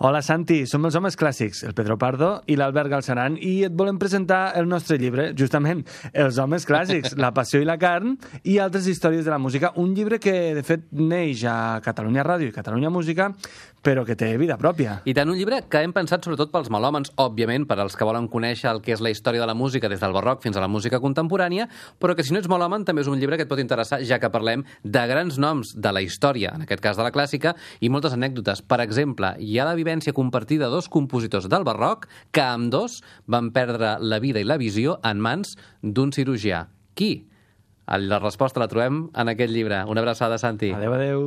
Hola Santi, som els Homes Clàssics, el Pedro Pardo i l'Albert Galceran, i et volem presentar el nostre llibre, justament, Els Homes Clàssics, la passió i la carn i altres històries de la música. Un llibre que, de fet, neix a Catalunya Ràdio i Catalunya Música, però que té vida pròpia. I tant, un llibre que hem pensat sobretot pels melòmens, òbviament, per als que volen conèixer el que és la història de la música des del barroc fins a la música contemporània, però que si no ets melòmen també és un llibre que et pot interessar, ja que parlem de grans noms de la història, en aquest cas de la clàssica, i moltes anècdotes. Per exemple, hi ha la vivència compartida de dos compositors del barroc que ambdós van perdre la vida i la visió en mans d'un cirurgià. Qui? La resposta la trobem en aquest llibre. Una abraçada, Santi. Adéu, adéu.